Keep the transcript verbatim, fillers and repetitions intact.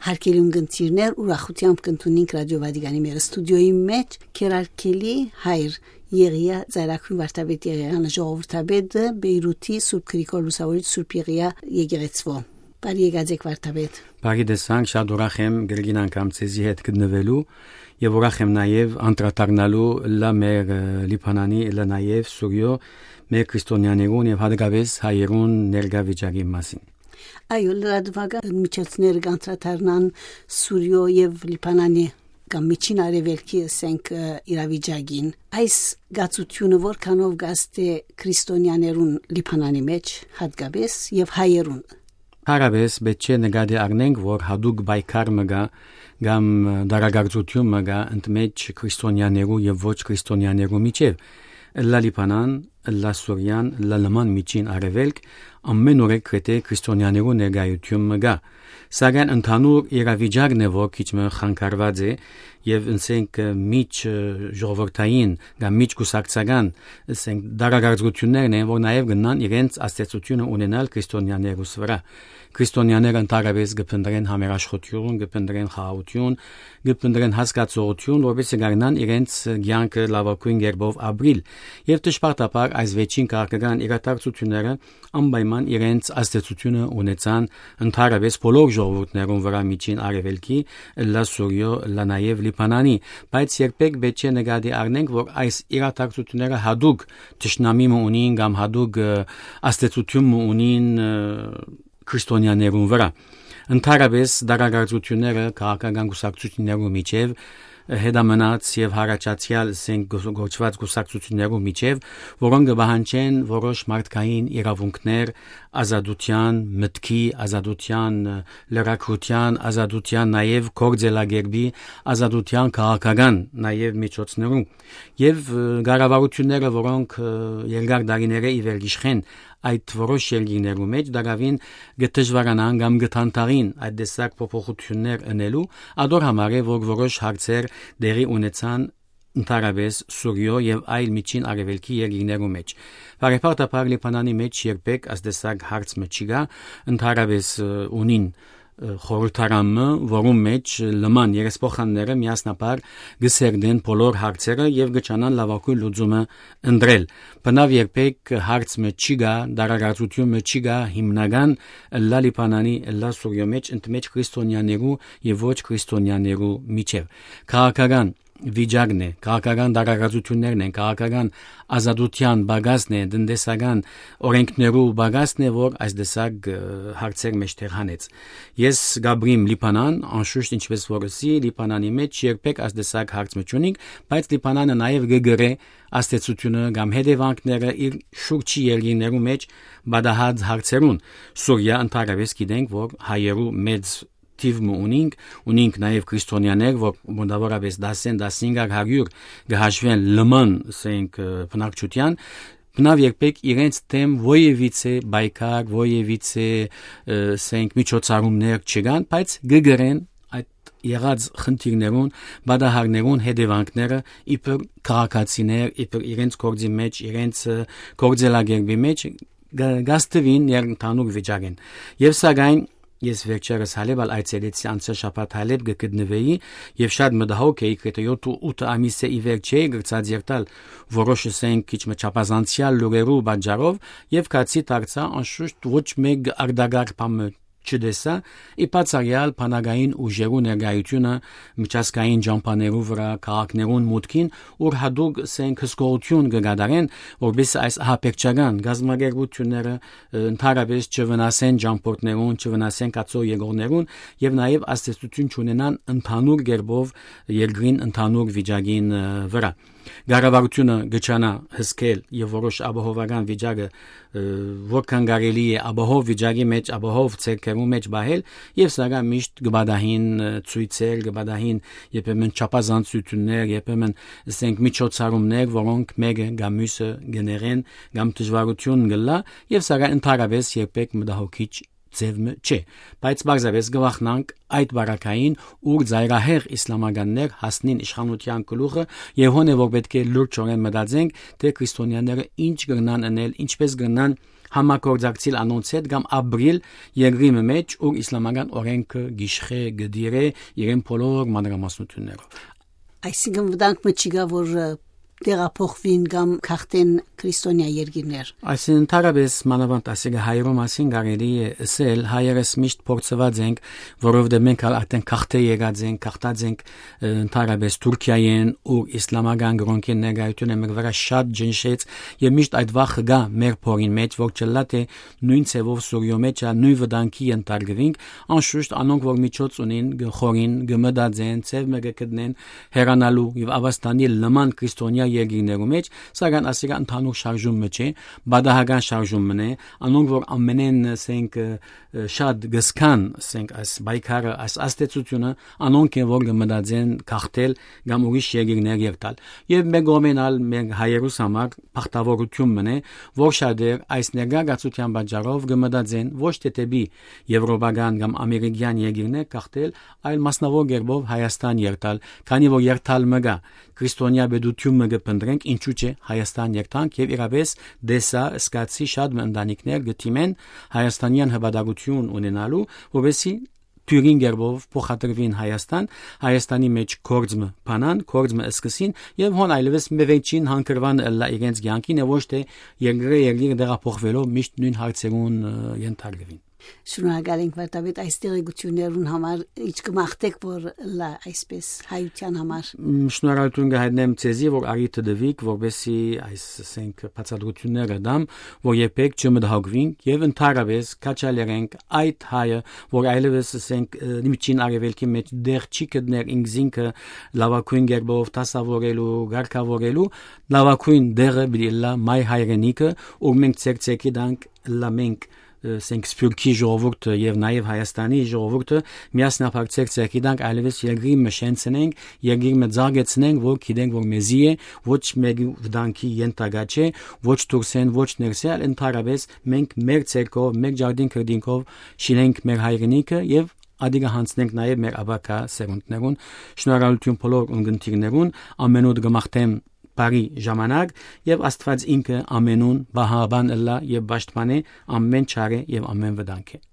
Արգելուն կընտիրներ, ուրախութեամբ կ'ընդունինք Ռադիո Վատիկանի մեր ստուդիոյի մէջ քերարգելի հայր Եղիա Ծայրագոյն վարդապետ Եղիանը, ժողովրդապետը Բեյրութի Սուրբ Գրիգոր Լուսավորիչ Սուրբ Եղիա եկեղեցւոյ։ Բարի եկած եք, վարդապետ։ Բարի տեսանք, շատ ուրախ եմ կրկին անգամ ձեզի հետ գտնուելու եւ ուրախ եմ նաեւ անդրադառնալու լա մեր, ը, Լիբանանի, լա նաեւ Սուրիոյ մեր քրիստոնյաներուն եւ հատկապես հայերուն ներկայ վիճակի մասին։ Այո, լրատուական միջոցները կանդրադառնան Սուրիոյ եւ Լիբանանի կամ Միջին Արեւելքի, ասենք, ը, իրավիճակին։ Այս գացությունը որքանով կազդէ քրիստոնյաներուն Լիբանանի մէջ, հատկապես, եւ հայերուն։ Հարաբես պէտք չէ նկատի առնենք, որ հատուկ պայքար մը կայ կամ, ը, դարակարծութիւն մը կայ ընդմէջ քրիստոնյաներու եւ ոչ քրիստոնյաներու միջեւ։ Ըլլա Լիբանան, ըլլա Սուրիան, ըլլա լման Միջին Արեւելք, ամէն օրը գրեթէ քրիստոնյաներու ներկայութիւն մը կայ։ Սակայն ընդհանուր իրավիճակն է, որ քիչ մը խանգարուած է, եւ, ասենք, ը, միջ, ը, ժողովրդային կամ միջ կուսակցական, ասենք, դարակարծություններն են, որ նաեւ կնան իրենց ազդեցությունը ունենալ քրիստոնյաներուս վրայ։ Քրիստոնյաները ընդհանրապես կը փնտռեն համերաշխութիւն, կը փնտռեն խաղաղութիւն, կը փնտռեն հասկացողութիւն, որպեսզի կարենան իրենց կեանքը լաւագոյն կերպով ապրիլ։ Եւ դժբախտաբար այս վերջին քաղաքական իրադարձությունները անպայման իրենց ազդեցությունը ունեցան ընդհանրապես բոլոր ժողովուրդներուն վրայ Միջին Արեւելքի, ըլլա Սուրիոյ, ըլլա նաեւ Լիբանանի, բայց երբեք պէտք չէ նկատի առնենք, որ այս իրադարձությունները հատուկ թշնամի մը ունին կամ հատուկ, ը, ազդեցութիւն մը ունին, ը, քրիստոնյաներուն վրայ։ Ընդհանրապես դարակարծությունները քաղաքական կուսակցություններու միջեւ, ը, հետամնաց եւ հառաջացեալ, ասենք, գոս-, գործուած կուսակցություններու միջեւ, որոնք կը պահանջեն որոշ մարդկային իրաւունքներ, ազատութեան, մտքի ազատութեան, ը, լրագրութեան ազատութեան, նաեւ գործելակերպի ազատութեան քաղաքական նաեւ միջոցներու։ Եւ, ը, կառավարությունները, որոնք, ը, երկար տարիներէ ի վեր գիշխեն այդ որոշ երկիրներու մէջ, դակաւին կը դժուարանան կամ կը դանդաղին այդ տեսակ փոփոխություններ ընելու, ադոր համար է, որ որոշ հարցեր տեղի ունեցան ընդհանրապես Սուրիոյ եւ այլ Միջին Արեւելքի երկիրներու մէջ։ Բարեբախտաբար Լիբանանի մէջ երբեք այս տեսակ հարց մը չի գայ, ընդհանրապես, ը, ունին, ը, խորհրդարան մը, որուն մէջ լման երեսփոխանները միասնաբար կը սերտեն բոլոր հարցերը եւ կը ջանան լաւագոյն լուծումը ընտրել։ Բնաւ երբեք հարց մը չի գայ, դարակարծութիւն մը չի գայ հիմնական ըլլա Լիբանանի, ըլլա Սուրիոյ մէջ, ընդմէջ քրիստոնյաներու եւ ոչ քրիստոնյաներու միջեւ։ Քաղաքական վիճակն է, քաղաքական դարակարծություններն են, քաղաքական ազատութեան պակասն է, տնտեսական օրենքներու պակասն է, որ այս տեսակ, ը, հարցեր մէջտեղ հանեց։ Ես կապրիմ Լիբանան, անշուշտ, ինչպես որ ըսի, Լիբանանի մէջ երբեք այս տեսակ հարց մը չունինք, բայց Լիբանանը նաեւ կը կրէ ազդեցությունը կամ հետեւանքները իր շուրջի երկիրներու մէջ պատահած հարցերուն։ Սուրիա, ընդհանրապես գիտենք, որ հայերու մեծ թիւ մը ունինք, ունինք նաեւ քրիստոնյաներ, որ մոտավորապես տասը, տասնհինգ հարիւր կը հաշուեն լման, ասենք, ը, բնակչութեան, բնաւ երբեք իրենց դէմ ոեւիցե պայքար, ոեւիցե, ը, ասենք, միջոցառումներ չկան, բայց կը կրեն այդ եղած խնդիրներուն, պատահարներուն հետեւանքները իբր քաղաքացիներ, իբր իրենց գործի մէջ, իրենց, ը, գործելակերպի մէջ գ-, գաստուին ներընդհանուր վիճակին։ Եւ սակայն ես վերջերս Հալեբ ալ այցելեցի, անցյալ շաբաթ Հալեբ կը գտնուէի եւ շատ մտահոգ էի, գրեթէ յոթ ութ ամիս է ի վեր չէի գրցած երթալ որոշ, ասենք, քիչ մը չափազանցեալ լուրերու պատճառով, եւ գացի դարձայ, անշուշտ, ոչ մէկ արտակարգ բան մը չտեսայ, ի բացառեալ բանակային ուժերու ներկայութիւնը միջազգային ճամբաներու վրայ, քաղաքներուն մուտքին, ուր հատուկ, ասենք, հսկողութիւն կը կատարեն, որպեսզի այս ահաբեկչական կազմակերպությունները, ը, ընդհանրապես չվնասեն ճամբորդներուն, չվնասեն գացող եկողներուն եւ նաեւ ազդեցութիւն չունենան ընդհանուր կերպով երկրին ընդհանուր վիճակին, ը, վրայ։ Կառավարութիւնը կը ջանայ հսկել եւ որոշ ապահովական վիճակը, ը, որքան կարելի է ապահով վիճակի մէջ, ապահով ձեռքերու մէջ պահել, եւ սակայն միշտ կը պատահին, ը, ցոյցեր, կը պատահին երբեմն չափազանցություններ, երբեմն, ասենք, միջոցառումներ, որոնք մէկը կամ միւսը կը նեղեն կամ դժուարութիւն կ'ըլլայ, եւ սակայն ընդհանրապես երբեք մտահոգիչ ձեւ մը չէ, բայց պարզապէս կը վախնանք այդ պարագային, ուր ծայրահեղ իսլամականներ հասնին իշխանութեան գլուխը, եւ հոն է, որ պէտք է լուրջօրէն մտածենք, թէ քրիստոնյաները ինչ կրնան ընել, ինչպես կրնան համագործակցիլ անոնց հետ կամ ապրիլ երկրի մը մէջ, ուր իսլամական օրենքը գիշխէ, կը դիրէ իրեն բոլոր մանրամասնութիւններով։ Այսինքն վտանգ մը չի գա, որ, ը, տեղափոխուին կամ գաղթեն քրիստոնեայ երկիրներ։ Այսինքն ընդհանրապէս մանաւանդ ասիկա հայերու մասին կարելի է ըսել, հայերս միշտ փորձուած ենք, որովհետեւ մենք ալ արդեն գաղթէ եկած ենք, գաղթած ենք, ը, ընդհանրապէս Թուրքիայէն, ուր իսլամական կրօնքին ներկայութիւնը մեր վրայ շատ ջնշեց, եւ միշտ այդ վախը կայ մեր փորին մէջ, որ չըլլայ թէ նոյն ձեւով Սուրիոյ մէջ ալ նոյն վտանգի ենթարկուինք, անշուշտ անոնք որ միջոց ունին, կը խորին, կը մտածեն, ձեւ մը կը գտնեն հեռանալու եւ Աբաստանի լման քրիստոնեայ երկիրներու մէջ, սակայն ասիկա ընդհանուր շարժում մը չէ, պատահական շարժում մը է, անոնք որ ամենէն, ասենք, ը, ը, շատ գսկան, ասենք, այս պայքարը, այս ազդեցությունը, անոնք են որ կը մտածեն գաղթել կամ ուրիշ երկիրներ երթալ։ Եւ մեր կողմէն ալ մեր հայերուս համար բախտավորութիւն մը է, որ շատեր այս ներգաղթացութեան պատճառով կը մտածեն ոչ թէ դէպի եվրոպական կամ ամերիկյան երկիրներ գաղթել, այլ մասնաւոր կերպով Հայաստան երթալ, քանի որ երթալ մը կայ, քրիստոնեայ պետութիւն մը կը փնտռենք, ինչու՞ չէ Հայաստան երթանք, եւ իրապէս տեսայ, զգացի շատ մը ընտանիքներ կը դիմեն հայաստանեան հպատակութիւն ունենալու, որպեսզի թիւրին կերպով փոխադրուին Հայաստան, Հայաստանի մէջ գործ մը բանան, գործ մը սկսին, եւ հոն այլեւս մը վերջին հանգրուան ըլլայ իրենց կեանքին, եւ ոչ թէ երկրէ երկիր տեղափոխուելով միշտ նոյն հարցերուն, ը, ենթարկուին։ Շնորհակալ ենք, վարդապետ, այս տեղեկութիւններուն համար, ինչ կը մաղթէք որ ըլլայ այսպէս հայութեան համար։ Մ, շնորհակալութիւն կը հայտնեմ ձեզի, որ առիթը տուիք, որպեսզի այս, ասենք, բացատրութիւնները տամ, որ երբեք չմտահոգուինք, եւ ընդհանրապէս քաջալերենք այդ հայը, որ այլեւս, ասենք, ը, միջին արեւելքի մէջ տեղ չի գտներ ինքզինքը լաւագոյն կերպով դասաւորելու, կարգաւորելու, լաւագոյն տեղը պիտի ըլլայ մայր հայրենիքը, ուր մենք ձեռք ձեռքի տանք, ըլլայ մենք, ը, ասենք, Սփիւռքի ժողովուրդը եւ նաեւ Հայաստանի ժողովուրդը միասնաբար ձեռք ձեռքի տանք, այլեւս երկրի մը շենցնենք, երկիր մը ծաղկեցնենք, որ գիտենք, որ մեզի է, ոչ մեկի վտանգի ենթակայ չէ, ոչ դուրսէն, ոչ ներսէ, այլ ընդհանրապէս մենք մեր ձեռքով, մեր ջարդին քրտինքով շինենք մեր հայրենիքը եւ ադիկը յանցնենք նաեւ մեր ապագայ սերունդներուն։ Շնորհակալութիւն բոլոր ունկնդիրներուն, ամենուր կը մաղթեմ բարի ժամանակ, եւ Աստուած ինքը ամենուն պահապան ըլլայ եւ պաշտպանէ ամեն չարէ եւ ամեն վտանգէ։